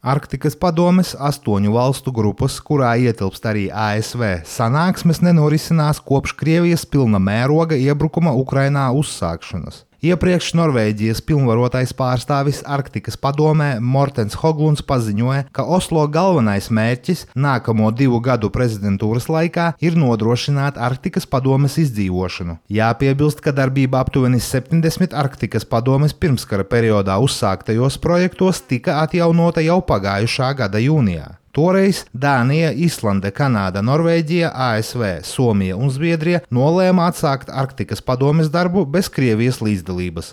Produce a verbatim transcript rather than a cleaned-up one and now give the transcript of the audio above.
Arktikas padomes astoņu valstu grupas, kurā ietilpst arī A S V, sanāksmes nenorisinās kopš Krievijas pilna mēroga iebrukuma Ukrainā uzsākšanas. Iepriekš Norvēģijas pilnvarotais pārstāvis Arktikas padomē Mortens Hoglunds paziņoja, ka Oslo galvenais mērķis nākamo divu gadu prezidentūras laikā ir nodrošināt Arktikas padomes izdzīvošanu. Jāpiebilst, ka darbība aptuveni septiņdesmit Arktikas padomes pirmskara periodā uzsāktajos projektos tika atjaunota jau pagājušā gada jūnijā. Toreiz Dānija, Islande, Kanāda, Norvēģija, A S V, Somija un Zviedrija nolēma atsākt Arktikas padomes darbu bez Krievijas līdzdalības.